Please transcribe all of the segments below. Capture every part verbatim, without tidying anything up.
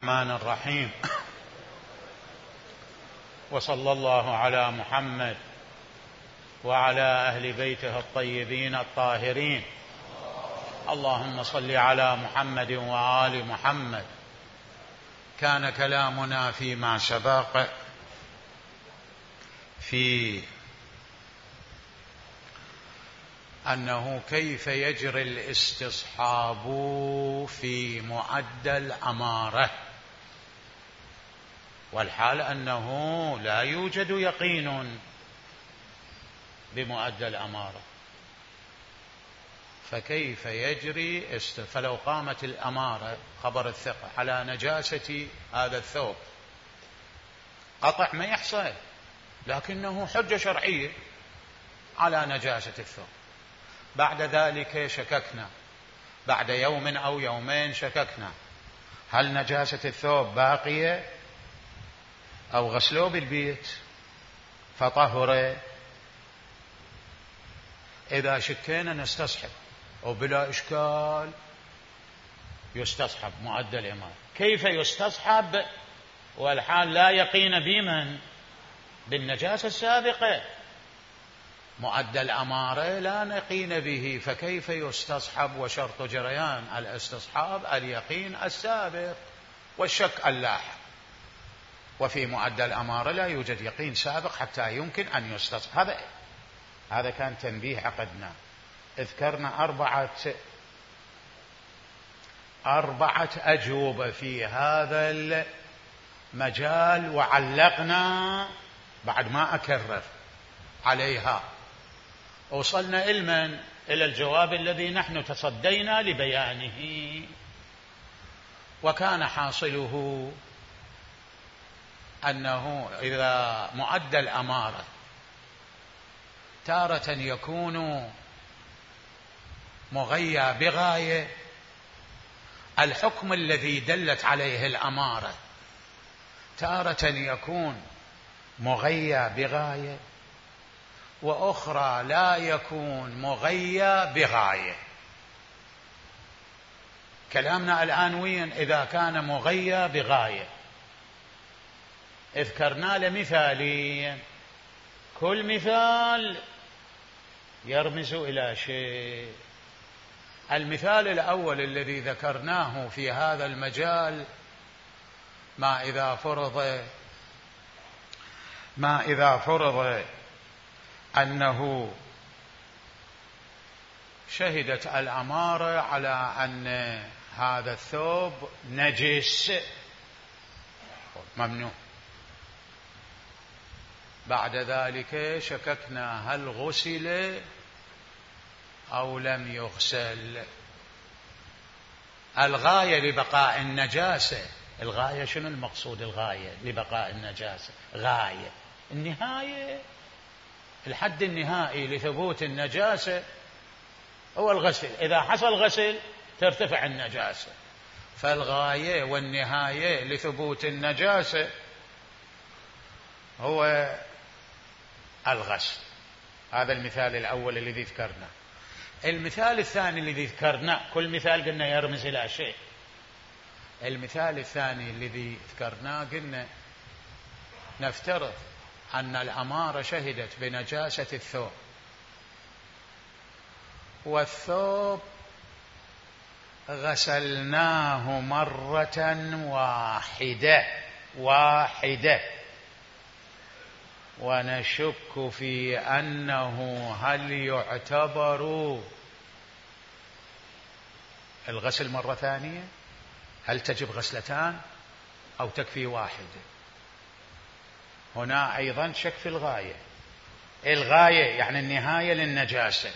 الرحمن الرحيم. وصلى الله على محمد وعلى أهل بيته الطيبين الطاهرين. اللهم صل على محمد وآل محمد. كان كلامنا فيما سبق في أنه كيف يجري الاستصحاب في مؤدى الأمارة، والحال أنه لا يوجد يقين بمؤدى الأمارة، فكيف يجري است... فلو قامت الأمارة خبر الثقة على نجاسة هذا الثوب قطع ما يحصل، لكنه حجة شرعية على نجاسة الثوب. بعد ذلك شككنا، بعد يوم أو يومين شككنا هل نجاسة الثوب باقية أو غسلوه بالبيت فطهر. إذا شكينا نستصحب وبلا إشكال يستصحب مؤدى الإمارة. كيف يستصحب والحال لا يقين بمن؟ بالنجاسة السابقة. مؤدى الأمارة لا نقين به، فكيف يستصحب؟ وشرط جريان الاستصحاب اليقين السابق والشك اللاحق، وفي مؤدى الأمارة لا يوجد يقين سابق حتى يمكن أن يستصحب. هذا هذا كان تنبيه عقدنا. اذكرنا أربعة أربعة أجوبة في هذا المجال، وعلقنا بعد ما أكرر عليها. وصلنا إلمن إلى الجواب الذي نحن تصدينا لبيانه، وكان حاصله أنه إذا مؤدى الأمارة تارة يكون مغيى بغاية، الحكم الذي دلت عليه الأمارة تارة يكون مغيى بغاية، وأخرى لا يكون مغيى بغاية. كلامنا الآن وين؟ إذا كان مغيى بغاية اذكرنا لمثالين، كل مثال يرمز إلى شيء. المثال الأول الذي ذكرناه في هذا المجال ما إذا فرض ما إذا فرض أنه شهدت الأمارة على أن هذا الثوب نجس ممنوع، بعد ذلك شككنا هل غسل أو لم يغسل. الغاية لبقاء النجاسة، الغاية شنو المقصود؟ الغاية لبقاء النجاسة غاية، النهاية الحد النهائي لثبوت النجاسة هو الغسل. إذا حصل غسل ترتفع النجاسة، فالغاية والنهاية لثبوت النجاسة هو الغسل. هذا المثال الأول الذي ذكرنا. المثال الثاني الذي ذكرنا، كل مثال قلنا يرمز إلى شيء. المثال الثاني الذي ذكرناه قلنا نفترض أن الأمارة شهدت بنجاسة الثوب، والثوب غسلناه مرة واحدة واحدة ونشك في أنه هل يعتبر الغسل مرة ثانية؟ هل تجب غسلتان أو تكفي واحدة؟ هنا أيضا شك في الغاية. الغاية يعني النهاية للنجاسة.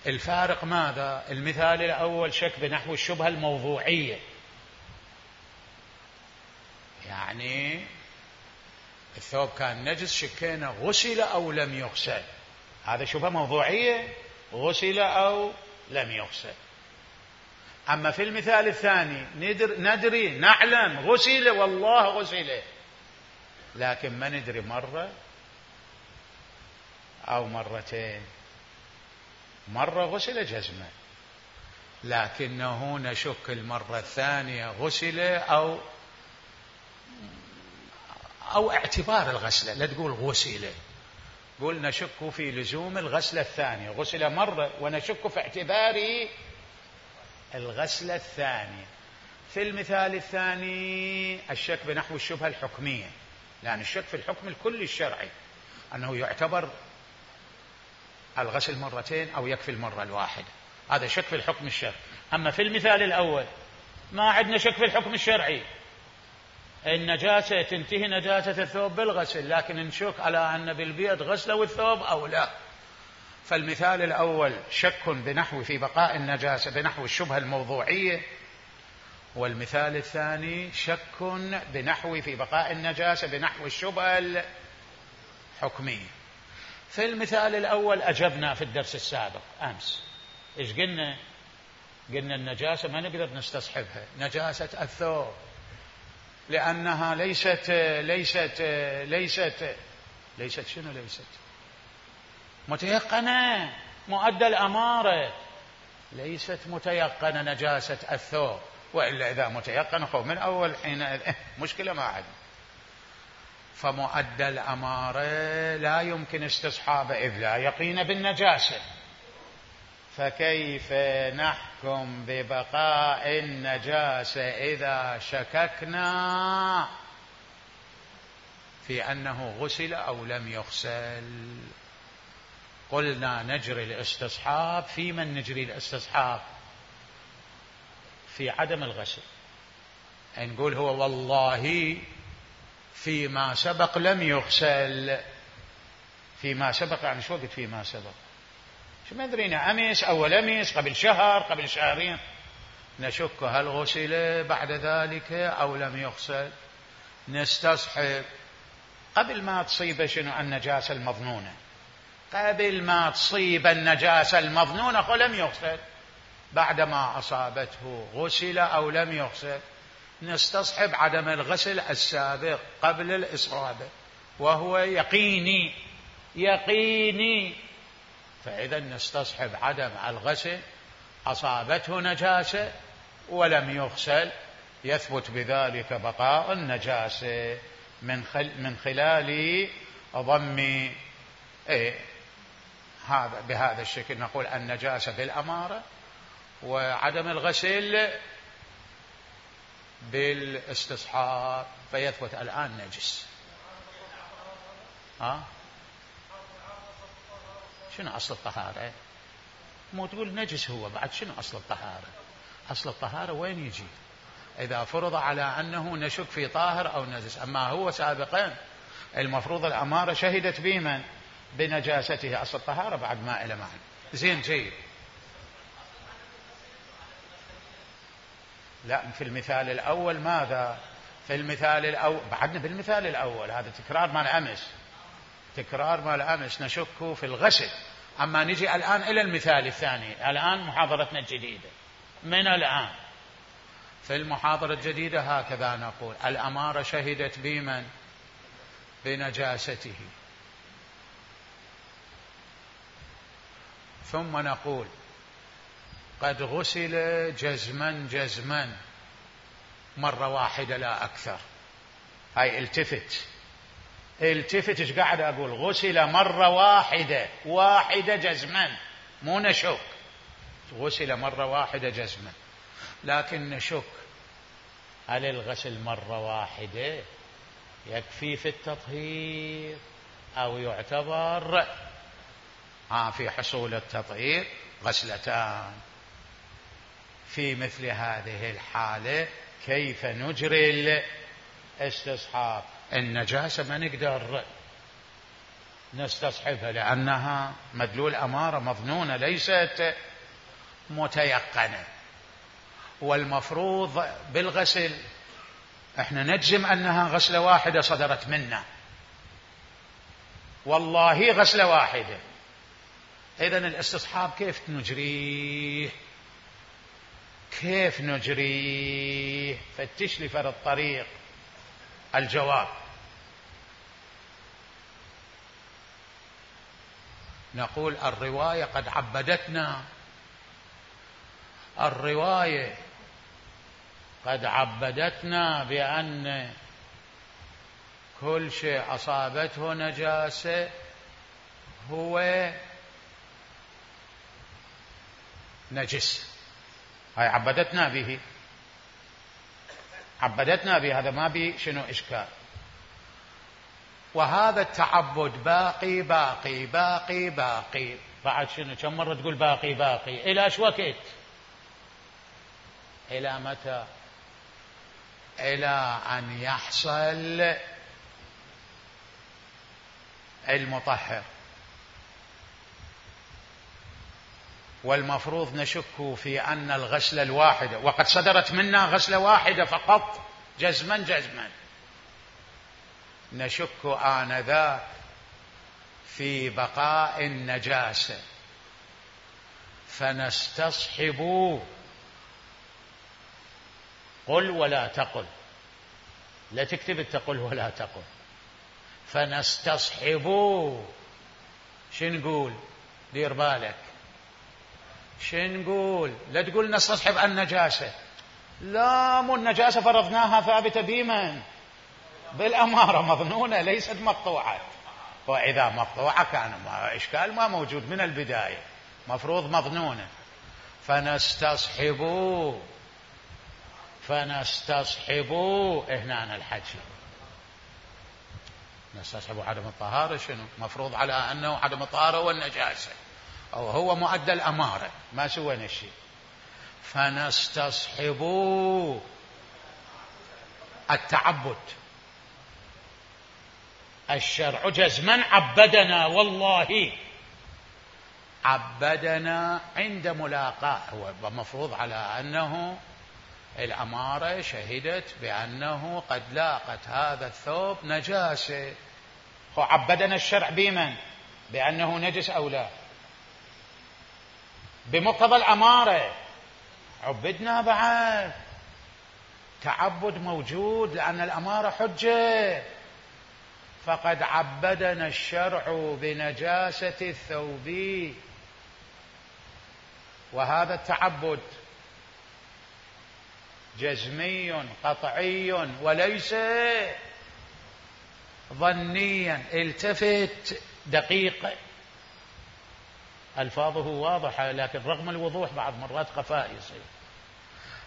الفارق ماذا؟ المثال الأول شك بنحو الشبهة الموضوعية، يعني الثوب كان نجس شكينا غسل أو لم يغسل، هذا شبهة موضوعية، غسل أو لم يغسل. أما في المثال الثاني ندر ندري نعلم غسل، والله غسل، لكن ما ندري مرة أو مرتين. مرة غسل جزمة، لكنه نشك المرة الثانية غسل أو أو اعتبار الغسلة، لا تقول غسل، قول نشك في لزوم الغسلة الثانية، غسل مرة ونشك في اعتبار الغسلة الثانية. في المثال الثاني الشك بنحو الشبهة الحكمية، لأن الشك في الحكم الكلي الشرعي أنه يعتبر الغسل مرتين أو يكفي المرة الواحدة، هذا شك في الحكم الشرعي. أما في المثال الأول ما عندنا شك في الحكم الشرعي، النجاسة تنتهي نجاسة الثوب بالغسل، لكن نشك على أن بالبيت غسلوا الثوب أو لا. فالمثال الأول شك بنحو في بقاء النجاسة بنحو الشبهة الموضوعية، والمثال الثاني شك بنحو في بقاء النجاسة بنحو الشبهة الحكمية. في المثال الأول أجبنا في الدرس السابق أمس، إيش قلنا؟ قلنا النجاسة ما نقدر نستصحبها، نجاسة الثوب، لأنها ليست ليست ليست ليست شنو ليست متيقنة، مؤدى الأمارة، ليست متيقنة نجاسة الثوب، وإلا إذا متيقن خو من أول حين إيه مشكلة ما عندنا. فمؤدى الأمارة لا يمكن استصحابه إذ لا يقين بالنجاسة، فكيف نحكم ببقاء النجاسة إذا شككنا في أنه غسل أو لم يغسل؟ قلنا نجري الاستصحاب في من نجري الاستصحاب في عدم الغسل، نقول هو والله فيما سبق لم يغسل. فيما سبق يعني شو وقت فيما سبق؟ شو ما أدرينا، أمس أو أمس، قبل شهر، قبل شهرين، نشك هل غسل بعد ذلك أو لم يغسل. نستصحب قبل ما تصيب شنو النجاسة المظنونة، قبل ما تصيب النجاسة المظنونة خو لم يغسل، بعدما أصابته غسل أو لم يغسل. نستصحب عدم الغسل السابق قبل الإصابة وهو يقيني يقيني، فإذا نستصحب عدم الغسل، أصابته نجاسة ولم يغسل، يثبت بذلك بقاء النجاسة من خل من خلال ضم إيه هذا بهذا الشكل. نقول النجاسة بالأمارة وعدم الغسل بالاستصحاب، فيثبت الآن نجس. ها شنو أصل الطهارة؟ مو تقول نجس هو بعد، شنو أصل الطهارة؟ أصل الطهارة وين يجي؟ إذا فرض على أنه نشك في طاهر أو نجس، أما هو سابقا المفروض الأمارة شهدت بمن؟ بنجاسته، أصل الطهارة بعد ما إلى معنى. زين جيد. لا في المثال الأول ماذا؟ في المثال الأول بعدنا بالمثال الأول، هذا تكرار مال أمس، تكرار مال أمس، نشك في الغسل. أما نجي الآن إلى المثال الثاني، الآن محاضرتنا الجديدة من الآن. في المحاضرة الجديدة هكذا نقول الأمارة شهدت بمن؟ بنجاسته، ثم نقول قد غسل جزما جزما مرة واحدة لا أكثر. هاي التفت التفت ايش قاعد أقول؟ غسل مرة واحدة واحدة جزما، مو نشك، غسل مرة واحدة جزما. لكن نشك هل الغسل مرة واحدة يكفي في التطهير أو يعتبر آه في حصول التطهير غسلتان؟ في مثل هذه الحالة كيف نجري الاستصحاب؟ النجاسة ما نقدر نستصحبها لأنها مدلول أمارة مظنونة ليست متيقنة، والمفروض بالغسل احنا نجزم أنها غسلة واحدة صدرت منا، والله غسلة واحدة. إذن الاستصحاب كيف نجريه؟ كيف نجريه؟ فتش لي فرد الطريق. الجواب نقول الرواية قد عبدتنا، الرواية قد عبدتنا بأن كل شيء أصابته نجاسة هو نجس. هاي عبدتنا به، عبدتنا به، هذا ما بي شنو إشكال. وهذا التعبد باقي باقي باقي باقي. بعد شنو؟ كم مرة تقول باقي باقي؟ إلى ايش وقت؟ إلى متى؟ إلى أن يحصل المطهر. والمفروض نشك في أن الغسلة الواحدة، وقد صدرت منا غسلة واحدة فقط جزما جزما، نشك آنذاك في بقاء النجاسة، فنستصحب، قل ولا تقل، لا تكتب تقل ولا تقل، فنستصحب. شن نقول؟ دير بالك، شن نقول؟ لا تقول نستصحب النجاسة، لا، مو النجاسة فرضناها ثابتة بمن؟ بالأمارة، مظنونة ليست مقطوعة. وإذا مقطوعة كان ما إشكال، ما موجود من البداية، مفروض مظنونة. فنستصحب فنستصحب هنا الحكي، نستصحب عدم الطهارة. شنو مفروض؟ على أنه عدم الطهارة والنجاسة، أو هو مؤدى الأمارة، ما سوينا شيء. فنستصحب التعبد. الشرع جزما عبدنا، والله عبدنا عند ملاقاة. هو مفروض على أنه الأمارة شهدت بأنه قد لاقت هذا الثوب نجاسة، عبدنا الشرع بمن؟ بأنه نجس أو لا؟ بمقتضى الأمارة عبدنا. بعد تعبد موجود لأن الأمارة حجة، فقد عبدنا الشرع بنجاسة الثوب. وهذا التعبد جزمي قطعي وليس ظنيا. التفت دقيق، ألفاظه واضحة لكن رغم الوضوح بعض مرات خفاء يصير.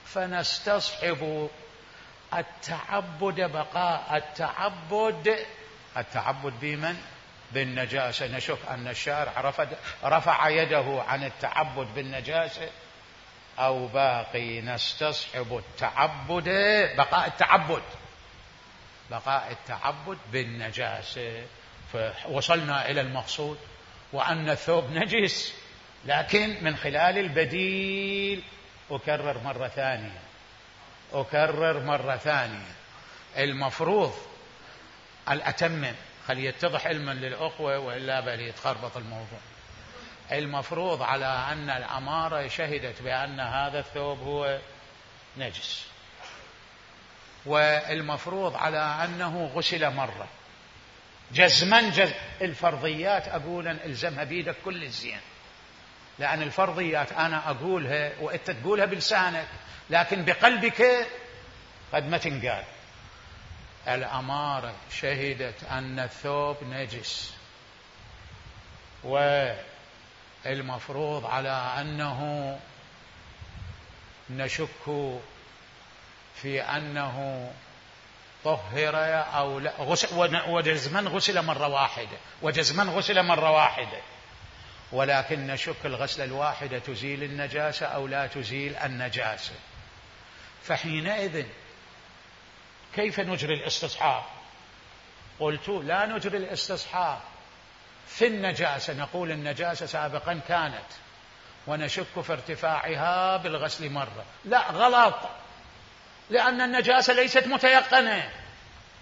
فنستصحب التعبد بقاء التعبد. التعبد بمن؟ بالنجاسة. نشك أن الشارع رفع يده عن التعبد بالنجاسة أو باقي. نستصحب التعبد بقاء التعبد بقاء التعبد بالنجاسة. فوصلنا إلى المقصود، وأن الثوب نجس، لكن من خلال البديل. أكرر مرة ثانية أكرر مرة ثانية المفروض الأتمم، خلي يتضح علما للأخوة وإلا بل يتخربط الموضوع. المفروض على أن الأمارة شهدت بأن هذا الثوب هو نجس، والمفروض على أنه غسل مرة جزما جزم. الفرضيات أقول إلزمها بيدك كل الزين، لأن الفرضيات أنا أقولها وأنت تقولها بلسانك، لكن بقلبك قد ما تنقال. الأمارة شهدت أن الثوب نجس، والمفروض على أنه نشك في أنه طهر أو لا. وجزما غسل مرة واحدة وجزما غسل مرة واحدة ولكن نشك الغسلة الواحدة تزيل النجاسة أو لا تزيل النجاسة. فحينئذ كيف نجري الاستصحاب؟ قلت لا نجري الاستصحاب في النجاسة، نقول النجاسة سابقا كانت ونشك في ارتفاعها بالغسل مرة. لا، غلط، لأن النجاسة ليست متيقنة،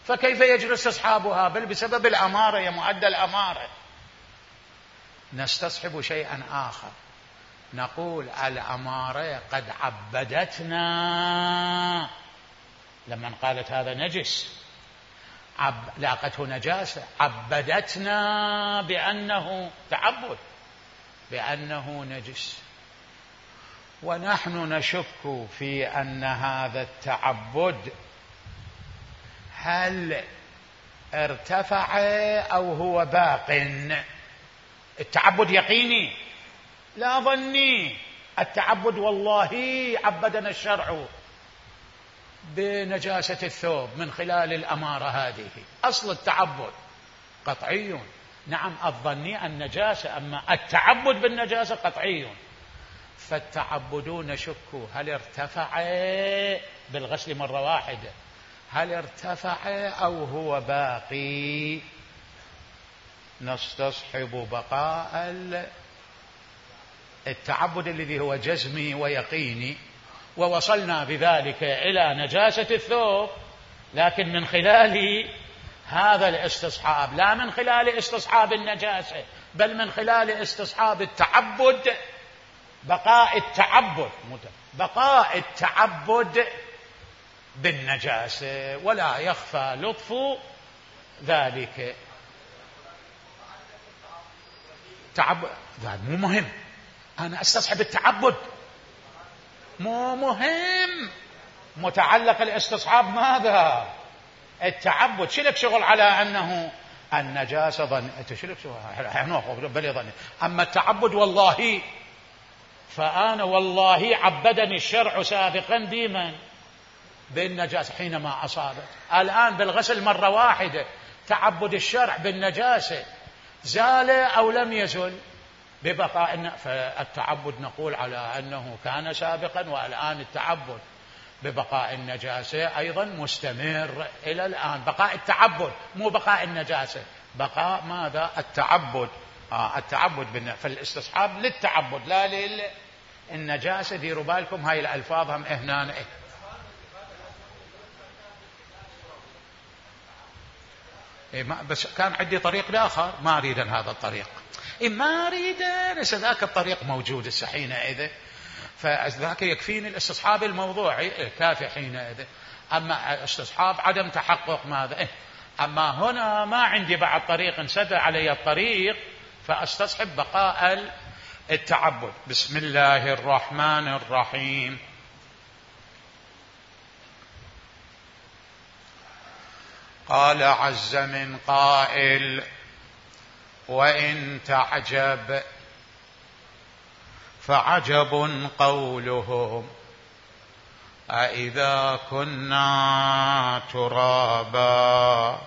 فكيف يجري استصحابها؟ بل بسبب الأمارة، يا مؤدى الأمارة. نستصحب شيئا آخر، نقول الأمارة قد عبدتنا لما قالت هذا نجس، عب... لاقته نجاسة، عبدتنا بأنه تعبد بأنه نجس، ونحن نشك في أن هذا التعبد هل ارتفع أو هو باق. التعبد يقيني لا ظني. التعبد والله عبدنا الشرع بنجاسة الثوب من خلال الأمارة هذه. أصل التعبد قطعي. نعم الظني النجاسة، أما التعبد بالنجاسة قطعي. فالتعبدون شكوا هل ارتفع بالغسل مرة واحدة، هل ارتفع أو هو باقي. نستصحب بقاء التعبد الذي هو جزمي ويقيني، ووصلنا بذلك إلى نجاسة الثوب، لكن من خلال هذا الاستصحاب، لا من خلال استصحاب النجاسة، بل من خلال استصحاب التعبد. بقاء التعبد بقاء التعبد بالنجاسة، ولا يخفى لطف ذلك. تعبد مو مهم، أنا أستصحب التعبد مو مهم. متعلق الاستصحاب ماذا؟ التعبد. شلك شغل على أنه النجاسة ظن، شلك شغل بل ظن. أما التعبد والله، فأنا والله عبدني الشرع سابقا ديما بالنجاسة حينما أصابت. الآن بالغسل مرة واحدة تعبد الشرع بالنجاسة زال أو لم يزل ببقاء. فالتعبد نقول على أنه كان سابقا، والآن التعبد ببقاء النجاسة أيضا مستمر إلى الآن. بقاء التعبد مو بقاء النجاسة، بقاء ماذا؟ التعبد. آه التعبد. فالاستصحاب للتعبد لا للنجاسة. ديروا بالكم هاي الألفاظ هم هنا. إيه بس كان عندي طريق آخر ما أريد هذا الطريق. إيه ما أريد ليس ذاك الطريق موجود حينئذ، فذاك يكفيني الاستصحاب الموضوعي. إيه كافي حينئذ. أما استصحاب عدم تحقق ماذا؟ إيه أما هنا ما عندي بعد طريق، انسد علي الطريق، فأستصحب بقاء التعبد. بسم الله الرحمن الرحيم. قال عز من قائل: وإن تعجب فعجب قولهم أإذا كنا ترابا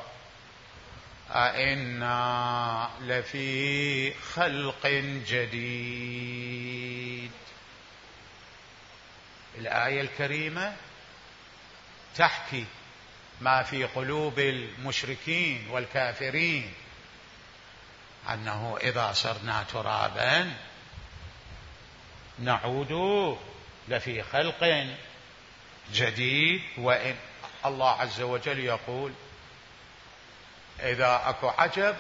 أإنا لفي خلق جديد. الآية الكريمة تحكي ما في قلوب المشركين والكافرين، أنه إذا صرنا ترابا نعود لفي خلق جديد. وإن الله عز وجل يقول: إذا أكو عجب،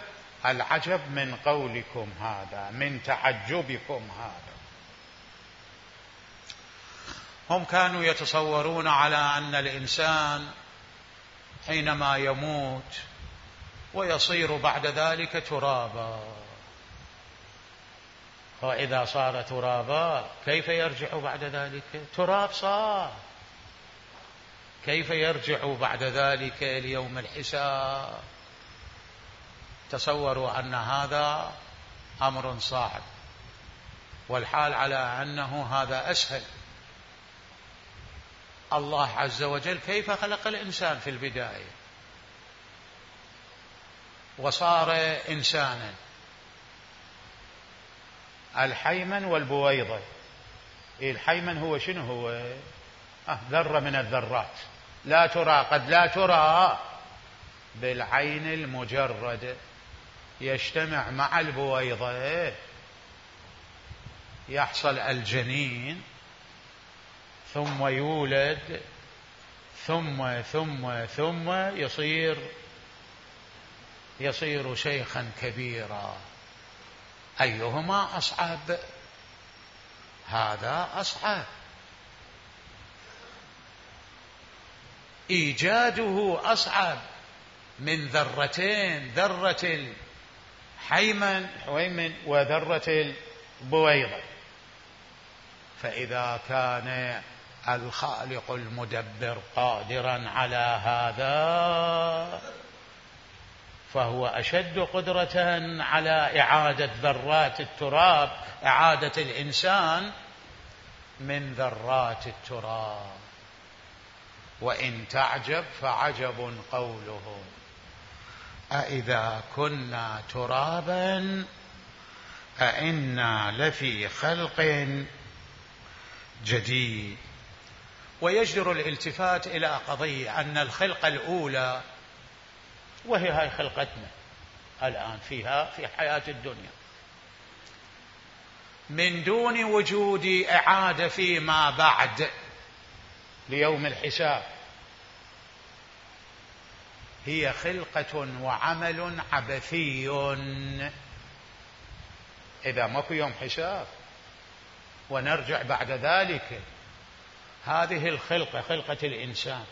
العجب من قولكم هذا، من تعجبكم هذا. هم كانوا يتصورون على أن الإنسان حينما يموت ويصير بعد ذلك ترابا، وإذا صار ترابا كيف يرجع بعد ذلك؟ تراب صار، كيف يرجع بعد ذلك ليوم الحساب؟ تصوروا أن هذا أمر صعب، والحال على أنه هذا أسهل. الله عز وجل كيف خلق الإنسان في البداية وصار إنسانا؟ الحيمن والبويضة. الحيمن هو شنو هو؟ آه ذرة من الذرات لا ترى، قد لا ترى بالعين المجرد، يجتمع مع البويضة يحصل الجنين، ثم يولد، ثم ثم ثم يصير يصير شيخا كبيرا. أيهما أصعب؟ هذا أصعب. إيجاده أصعب من ذرتين، ذرة الحيمن حويمن وذرة البويضة. فإذا كان الخالق المدبر قادرا على هذا، فهو أشد قدرة على إعادة ذرات التراب، إعادة الإنسان من ذرات التراب. وإن تعجب فعجب قولهم أإذا كنا ترابا أإنا لفي خلق جديد. ويجدر الالتفات إلى قضية أن الخلقة الأولى، وهي هاي خلقتنا الآن فيها في حياة الدنيا، من دون وجود إعادة فيما بعد ليوم الحساب، هي خلقة وعمل عبثي. إذا ماكو يوم حساب ونرجع بعد ذلك، هذه الخلقة خلقة الإنسان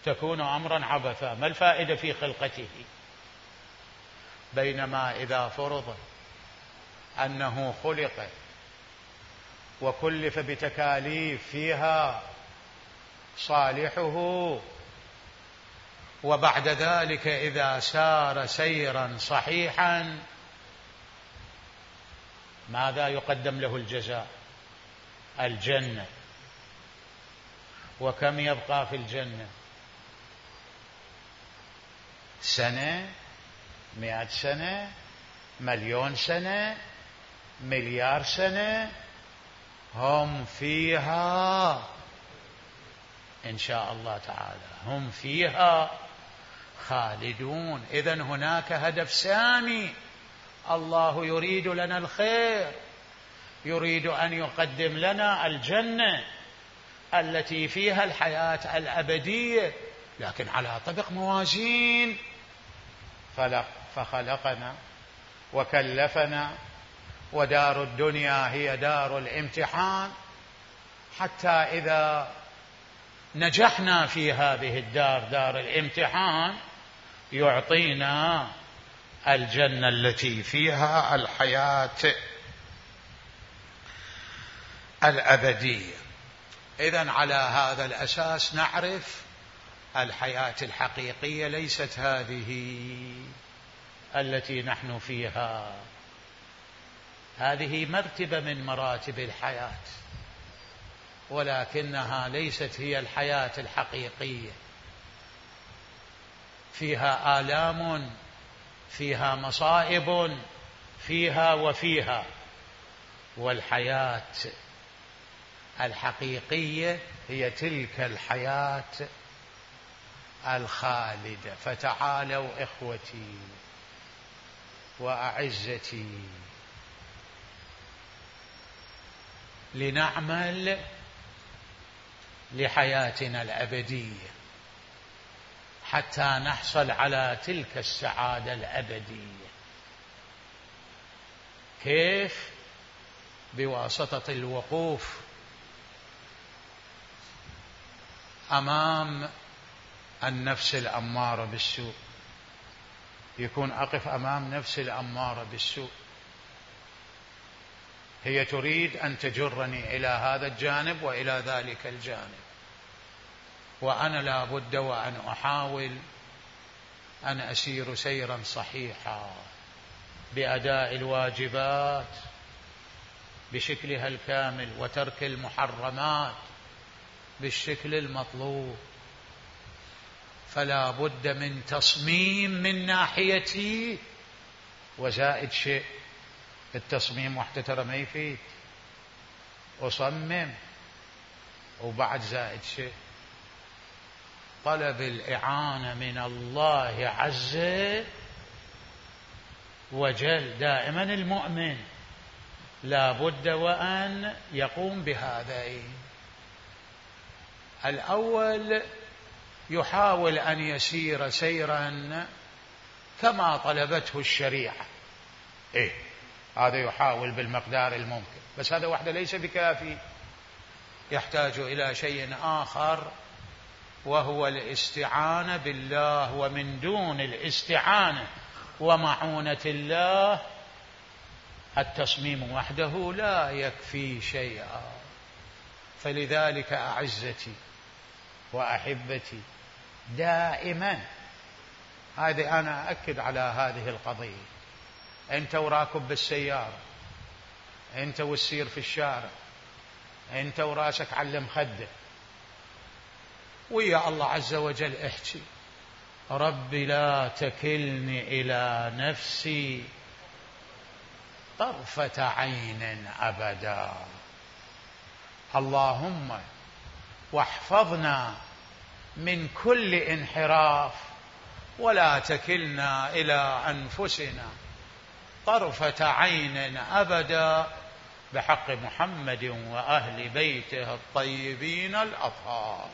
تكون أمرا عبثا، ما الفائدة في خلقته؟ بينما إذا فرض أنه خلق وكلف بتكاليف فيها صالحه، وبعد ذلك إذا سار سيرا صحيحا ماذا يقدم له الجزاء؟ الجنة. وكم يبقى في الجنة؟ سنة، مئة سنة، مليون سنة، مليار سنة، هم فيها إن شاء الله تعالى، هم فيها خالدون. إذن هناك هدف سامي، الله يريد لنا الخير، يريد أن يقدم لنا الجنة التي فيها الحياة الأبدية، لكن على طبق موازين. فخلقنا وكلفنا، ودار الدنيا هي دار الامتحان، حتى إذا نجحنا في هذه الدار، دار الامتحان، يعطينا الجنة التي فيها الحياة الأبدية. إذن على هذا الأساس نعرف الحياة الحقيقية ليست هذه التي نحن فيها، هذه مرتبة من مراتب الحياة، ولكنها ليست هي الحياة الحقيقية. فيها آلام، فيها مصائب، فيها وفيها. والحياة الحقيقية هي تلك الحياة الخالدة. فتعالوا إخوتي وأعزتي لنعمل لحياتنا الأبدية حتى نحصل على تلك السعادة الأبدية. كيف؟ بواسطة الوقوف أمام النفس الأمارة بالسوء. يكون أقف أمام نفس الأمارة بالسوء، هي تريد أن تجرني إلى هذا الجانب وإلى ذلك الجانب، وأنا لا بد وأن أحاول أن أسير سيرا صحيحا بأداء الواجبات بشكلها الكامل، وترك المحرمات بالشكل المطلوب. فلا بد من تصميم من ناحيتي، وزائد شيء، التصميم وحده ترى ما يفيد، أصمم وبعد زائد شيء، طلب الإعانة من الله عز وجل. دائما المؤمن لا بد وأن يقوم بهذين. الأول يحاول أن يسير سيرا كما طلبته الشريعة، إيه هذا يحاول بالمقدار الممكن، بس هذا وحده ليس بكافي، يحتاج إلى شيء آخر، وهو الاستعانة بالله. ومن دون الاستعانة ومعونة الله التصميم وحده لا يكفي شيئا. فلذلك أعزتي وأحبتي، دائما هذه أنا أأكد على هذه القضية. أنت وراكب بالسيارة، أنت والسير في الشارع، أنت وراسك على مخده، ويا الله عز وجل احكي: رب لا تكلني إلى نفسي طرفة عين أبدا. اللهم واحفظنا من كل انحراف، ولا تكلنا إلى أنفسنا طرفة عين أبدا، بحق محمد وأهل بيته الطيبين الأطهار.